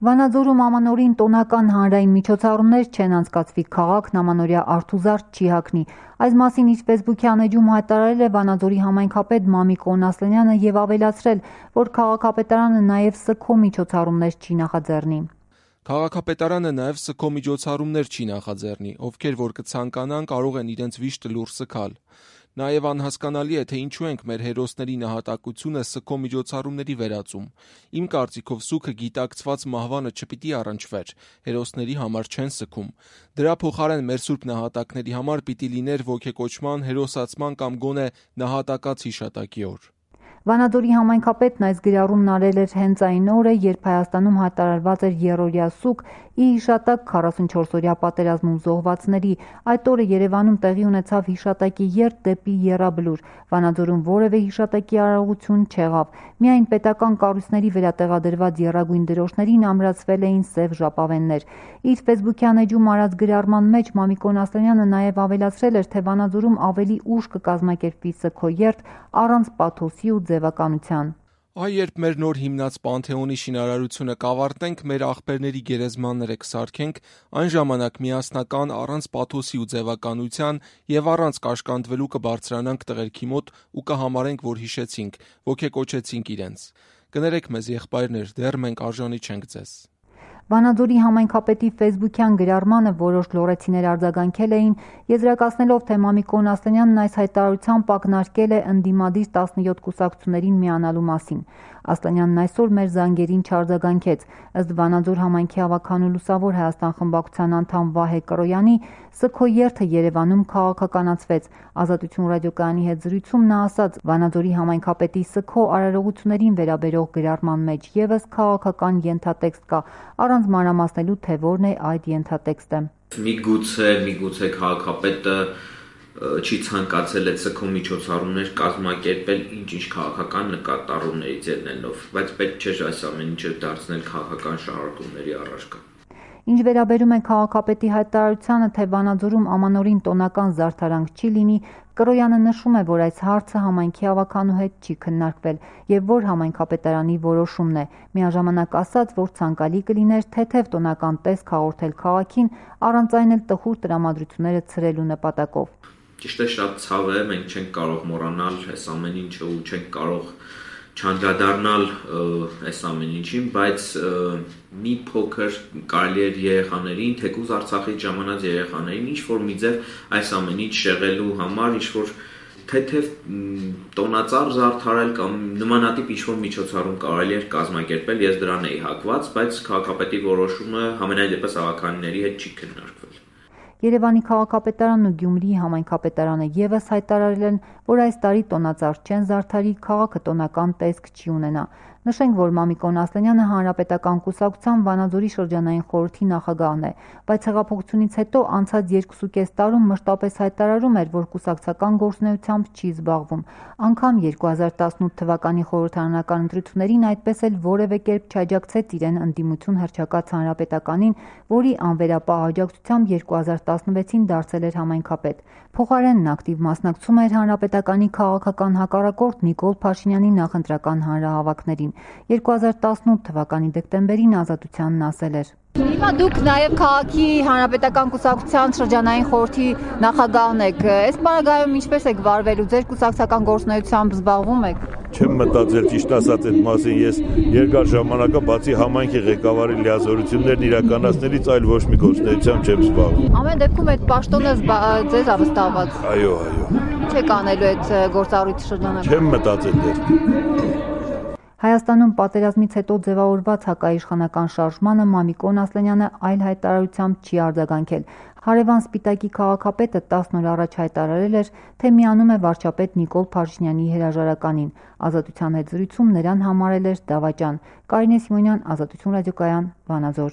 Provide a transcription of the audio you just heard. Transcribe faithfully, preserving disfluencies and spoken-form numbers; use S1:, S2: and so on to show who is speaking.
S1: Վանաձորում ամանորին տոնական հանրային միջոցառումներ չեն անցկացվի, քաղաքն ամանորյա արթուզարդ չի հագնի։ Այս մասին իր ֆեյսբուքյան էջում հայտարարել է Վանաձորի համայնքապետ Մամիկ Օնասլանյանը և ավելացրել, որ քաղաքապետարանը նաև սգո միջոցառումներ չի նախաձեռնի։
S2: Քաղաքապետարանը նաև սգո միջոցառումներ չի նախաձեռնի, ովքեր որ կցանկանան կարող են իրենց վիշտը լուռ սգալ։ Նաև անհասկանալի է, թե ինչու ենք մեր հերոսների նահատակությունը սգո միջոցառումների վերածում։ Իմ կարծիքով սուգը գիտակցված մահվանը չպիտի առնչվեր, հերոսների համար չեն սգում։ Դրա փոխարեն մեր սուրբ նահատակների համար պիտի լիներ ոգեկոչման, հերոսացման կամ գոնե նահատակած հիշատակի օր։
S1: Վանաձորի համայնքապետն այս գրառումն արել էր հենց այն օրը, երբ Հայաստանում հայտարարված էր եռօրյա սուգ ի հիշատակ քառասունչորսօրյա պատերազմում զոհվածների։ Այդ օրը Երևանում տեղի ունեցավ հիշատակի երթ դեպի Եռաբլուր։ Վանաձորում որևէ հիշատակի արարողություն չեղավ։ Միայն պետական կառույցների վրա տեղադրված եռագույն դրոշներին ամրացվել էին սև ժապավեններ։ Իր ֆեյսբուքյան էջում արած գրառման մեջ Մամիկ Օնասլանյանը նաև ավելացրել էր, թե Վանաձորում ավելի ուշ կկազմակերպվի սգո երթ առանց պաթոսի ու ձևականության։
S2: Այ երբ մեր նոր հիմնած Պանթեոնի շինարարությունը կավարտենք, մեր աղբերների գերեզմանները կսարքենք, այն ժամանակ միասնական առանց պաթոսի ու ձևականության և առանց կաշկանդվելու կբարձրանանք տղերքի մոտ ու կհամարենք, որ հիշեցինք, ոգեկոչեցինք իրենց։ Կներեք մեզ, եղբայրներ, դեռ մենք արժանի չենք ձեզ։
S1: Վանաձորի համայնքապետի ֆեյսբուքյան գրառմանը որոշ լոռեցիներ արձագանքել էին, եզրակացնելով, թե Մամիկ Օնասլանյանն այս հայտարարությամբ ակնարկել է ընդդիմադիր տասնյոթ կուսակցություններին միանալու մասին։ Ասլանյանն այսօր մեր զանգերին չարձագանքեց։ Ըստ Վանաձոր համայնքի ավագանու Լուսավոր Հայաստան խմբակցության անդամ Վահե Կրոյանի, սգո երթը Երևանում քաղաքականացվեց։ Ազատություն ռադիոկայանի հետ զրույցում նա ասաց, Վանաձորի համայնքապետի սգո արարողություններին վերաբերող գրառման մեջ ևս քաղաքական ենթատեքստ կա, առանց մանրամասնելու, թե որն է այդ ենթատեքստը։
S3: Միգուցե, միգուցե քաղաքապետը չի ցանկացել այդ սգո միջոցառումներ կազմակերպել ինչ-ինչ քաղաքական նկատառումներից ելնելով, բայց պետք չէ այս ամեն ինչը դարձնել քաղաքական շարժումների առարկա։
S1: Ինչ վերաբերում է քաղաքապետի հայտարարությանը, թե Վանաձորում ամանորին տոնական զարդարանք չի լինի, Կրոյանը նշում է, որ այս հարցը համայնքի ավագանու հետ չի քննարկվել և որ համայնքապետարանի որոշումն է։ Միաժամանակ ասաց, որ ցանկալի կլիներ թեթև տոնական տեսք հաղորդել քաղաքին, առանց այն էլ տխուր տրամադրությունները ցրելու նպատակով։
S3: Ճիշտ է, շատ ցավ է, մենք չենք կարող մոռանալ այս ամեն ինչը ու չենք կարող չանդրադառնալ այս ամեն ինչին, բայց մի փոքր կարելի է երեխաներին, թեկուզ Արցախից ժամանած երեխաներին ինչ-որ մի ձև այս ամեն ինչ շեղելու համար ինչ-որ թեթև տոնածառ զարդարել կամ նմանատիպ ինչ-որ միջոցառում կարելի էր կազմակերպել, ես դրան էի հակված, բայց քաղաքապետի որոշումը համենայն դեպս ավականիների հետ չի քննարկվել։
S1: Երևանի քաղաքապետարանն ու Գյումրիի համայնքապետարանը ևս հայտարարել են, որ այս տարի տոնածառ չեն զարդարի, քաղաքը տոնական տեսք չի ունենա։ Նշենք, որ Մամիկ Օնասլանյանը Հանրապետական կուսակցության Վանաձորի շրջանային խորհրդի նախագահն է, բայց հեղափոխությունից հետո անցած երկուսուկես տարում մշտապես հայտարարում էր, որ կուսակցական գործունեությամբ չի զբաղվում։ Անգամ երկու հազար տասնութ թվականի խորհրդարանական ընտրություններին այդպես էլ որևէ կերպ չաջակցեց իրեն ընդդիմություն հռչակած Հանրապետականին, որի անվերապահ աջակցությամբ երկու հազար տասնվեցին դարձել էր համայնքապետ։ Փոխարենն ակտիվ մասնակցում էր Հանրապետականի քաղաքական հակառակորդ Նիկոլ Փաշինյանի նախընտրական հանրահավաքներին։ երկու հազար տասնութ թվականի դեկտեմբերին Ազատությանն ասել էր.
S4: Հիմա դուք նաև քաղաքի Հանրապետական կուսակցության շրջանային խորհրդի նախագահն եք։ Այս պարագայում ինչպես եք վարվելու, ձեր կուսակցական գործունեությամբ զբաղվում եք։
S5: Չեմ մտածել ճիշտ ասած այդ մասին, ես երկար ժամանակա բացի համայնքի ղեկավարի լիազորություններն իրականացնելից այլ ոչ մի գործունեությամբ չեմ զբաղվում։
S4: Ամեն դեպքում այդ պաշտոնը ձեզ ավստահված։
S5: Այո, այո։
S4: Ինչ եք անելու այդ գործառույթի շրջանակում։
S5: Չեմ մտածել դեռ։
S1: Հայաստանում պատերազմից հետո ձևավորված հակաիշխանական շարժմանը Մամիկ Օնասլանյանը այլ հայտարարությամբ չի արձագանքել։ Հարևան Սպիտակի քաղաքապետը տասն օր առաջ հայտարարել էր, թե միանում է վարչապետ Նիկոլ Փաշինյանի հրաժարականին։ Ազատության հետ զրույցում նրան համարել էր դավաճան։ Կարինե Սիմոնյան, Ազատություն ռադիոկայան, Վանաձոր։